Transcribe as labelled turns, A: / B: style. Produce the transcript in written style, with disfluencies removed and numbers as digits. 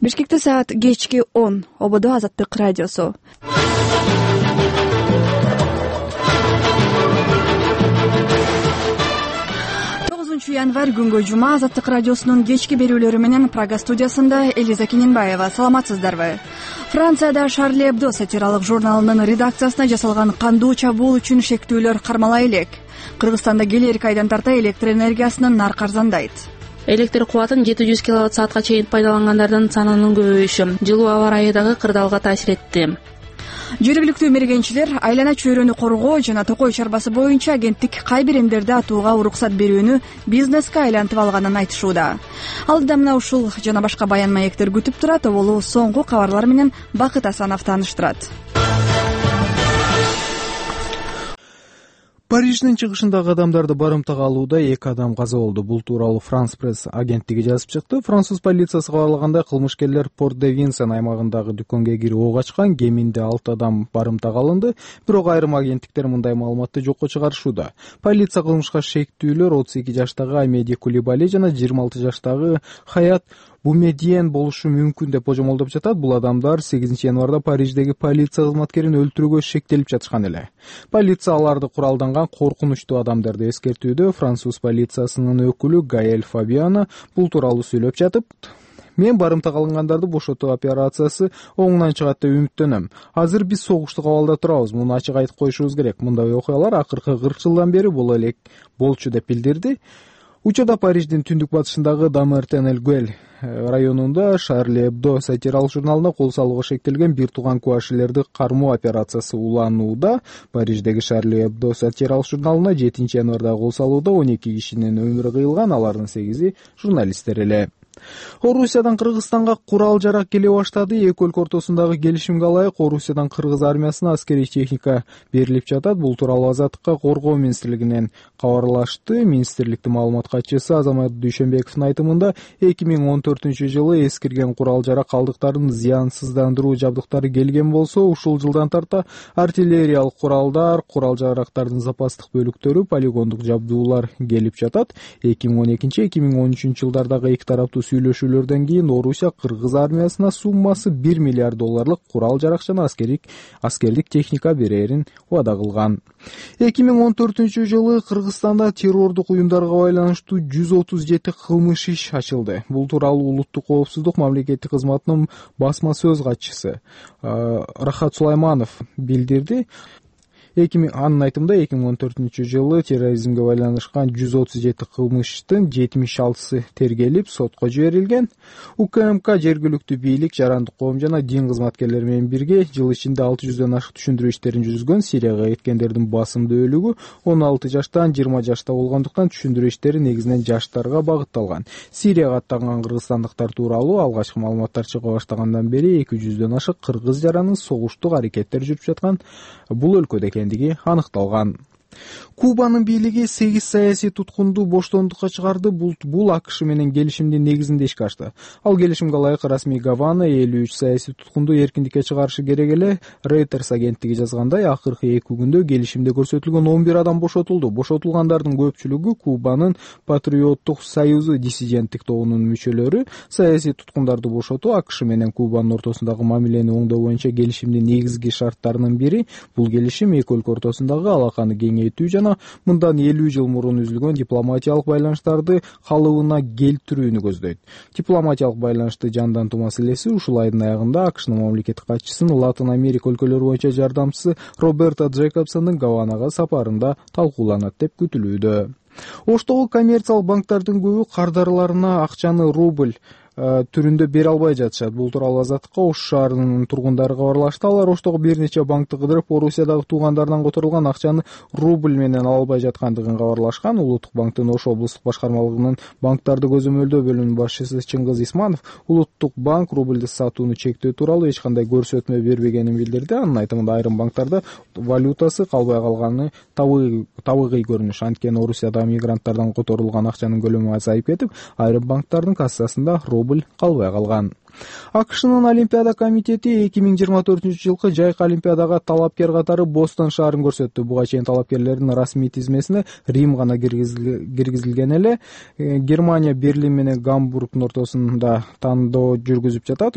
A: Бишкекте саат кечки 10. ОБД Азаттык радиосу. 9 январь күнгө жума Азаттык радиосунун кечки берүүлөрү менен Прага студиясында Элиза Кененбаева. Саламатсыздарбы? Францияда Шарли Эбдо сатиралык журналынын редакциясына жасалган кандуу чабуул үчүн шектүүлөр кармала элек. Кыргызстанда келер айдан тарта электр энергиясынын наркы арзандайт.
B: Электр кубатын 700 киловатт-саатка чейин пайдалангандардын санынын көбөйүшү жылуу аба ырайыдагы кырдаалга таасир этти.
A: Жергиликтүү мергенчилер айлана чөйрөнү коргоо жана токой чарбасы боюнча агенттик кай бир эмдерди атууга уруксат берүүнү бизнеске айлантып алганын айтышууда. Алдыда мына ушул жана башка баян маектер күтүп турат. Оболу соңку кабарлар менен Бакыт Асанов тааныштырат.
C: Париждин чыгышындагы адамдарды барымтага алууда 2 адам каза болду. Бул тууралуу Франс пресс агенттиги жазып чыкты. Француз полициясы кабарлагандай, кылмышкерлер Порт-де-Винсен аймагындагы дүкөнгө кирип ок ачкан. Кеминде 6 адам барымтага алынды. Бирок айрым агенттиктер мындай маалыматты жокко чыгарышууда. Полиция кылмышка шектүүлөр 32 жаштагы Амеди Кулибали жана 26 жаштагы Хаят Бумедиен болушу мүмкүн деп божомолдоп жатат. Бул адамдар 8 январда Париждеги полиция кызматкерин өлтүрүүгө шектелип жатышкан эле. Полиция аларды куралданган коркунучтуу адамдарды эскертүүдө. Француз полициясынын өкүлү Гаэль Фабиано бул тууралуу сүйлөп жатып, мен барымтага алынгандарды бошотуу операциясы оңунан чыгат деп үмүттөнөм. Азыр биз согуштук абалда турабыз. Муну ачык айтып коюшубуз керек. Мындай окуялар акыркы 40 жылдан бери боло элек болчу деп билдирди. Учурда Париждин түндүк батышындагы Дамертен-эль-Гуэль районунда Шарли Эбдо сатиралык журналына кол салууга шектелген бир тууган кубашилерди кармоо операциясы уланууда. Париждеги Шарли Эбдо сатиралык журналына 7 январда кол салууда 12 кишинин өмүрү кыйылган, алардын 8-и журналисттер эле. Орусиядан Кыргызстанга курал жарак келе баштады. Эки өлкө ортосундагы келишимге ылайык Орусиядан Кыргыз армиясына аскерий техника берилип жатат. Бул тууралуу Азаттыкка коргоо министрлигинен кабарлашты. Министрликтин маалымат катчысы Азамат Дүйшөнбековдун айтымында 2014-жылы эскирген курал жарак калдыктарынын зыянсыздандыруу жабдыктары келген болсо, ушул жылдан тарта артиллериялык куралдар, курал жарактардын запастык бөлүктөрү, полигондук жабдуулар келип жатат. 2012-2013 жылдардагы эки тараптуу сүйлөшүүлөрдөн кийин Орусия Кыргыз армиясына суммасы $1 миллиард курал жарак жана аскердик техника берерин убада кылган. 2014-жылы Кыргызстанда террордук уюмдарга байланыштуу 137 кылмыш иш ачылды. Бул тууралуу улуттук коопсуздук мамлекеттик кызматынын басма сөз катчысы Рахат Сулайманов билдирди. Анын айтымында 2014-жылы терроризмге байланышкан 137 кылмыштын 76сы тергелип, сотко жиберилген. УКМК жергиликтүү бийлик, жарандык коом жана дин кызматкерлери менен бирге жыл ичинде 600дөн ашык түшүндүрүү иштерин жүргүзгөн. Сирияга кеткендердин басымдуу бөлүгү 16 жаштан 20 жашта болгондуктан түшүндүрүү иштери негизинен жаштарга багытталган. Сирияга аттанган кыргызстандыктар тууралуу алгачкы маалыматтар чыга баштагандан бери 200дөн ашык кыргыз жаранын согуштук аракеттер жүрүп жаткан бул өлкөдө аныкталган. Кубанын бийлиги 8 саясий туткунду боштондукка чыгарды. Бул АКШ менен келишимдин негизинде ишке ашты. Ал келишимге ылайык расмий Гавана 53 саясий туткунду эркиндикке чыгарышы керек эле. Reuters агенттиги жазгандай, акыркы 2 күндө келишимде көрсөтүлгөн 11 адам бошотулду. Бошотулгандардын көпчүлүгү Кубанын Патриоттук союзу диссиденттик тобунун мүчөлөрү. Саясий туткундарды бошотуу АКШ менен Кубанын ортосундагы мамилени оңдоо боюнча келишимдин негизги шарттарынын бири. Бул келишим эки өлкө ортосундагы алаканы кеңейтүү жана мындан 50 жыл мурун үзүлгөн дипломатиялык байланыштарды калыбына келтирүүнү көздөйт. Дипломатиялык байланышты жандантуу маселеси ушул айдын аягында АКШнын мамлекеттик катчысынын Латын Америка өлкөлөрү боюнча жардамчысы Роберто Джейкобсондун Гаванага сапарында талкууланат деп күтүлүүдө. Оштогу коммерциялык банктардын көбү кардарларына акчаны рубль түрүндө бере албай жатышат. Бул тууралуу Азаттыкка Ош шаарынын тургундары кабарлашты. Алар Оштогу бир нече банкты кыдырып, Орусиядагы туугандарынан которулган акчаны рубль менен ала албай жаткандыгын кабарлашкан. Улуттук банктын Ош облустук башкармалыгынын банктарды көзөмөлдөө бөлүмүнүн башчысы Чыңгыз Исманов Улуттук банк рубльди сатууну чектөө тууралуу эч кандай көрсөтмө бербегенин билдирди. Анын айтымында айрым банктарда валютасы калбай калганы табигый көрүнүш. Анткени Орусияда мигранттардан которулган акчанын көлөмү азайып кетип, айрым банктардын кассасында дубль калбай калган. АКШнын Олимпиада комитети 2024-жылкы жайкы Олимпиадага талапкер катары Бостон шаарын көрсөттү. Буга чейин талапкерлердин расмий тизмесине Рим гана киргизилген эле. Германия Берлин менен Гамбургдун ортосунда тандоо жүргүзүп жатат.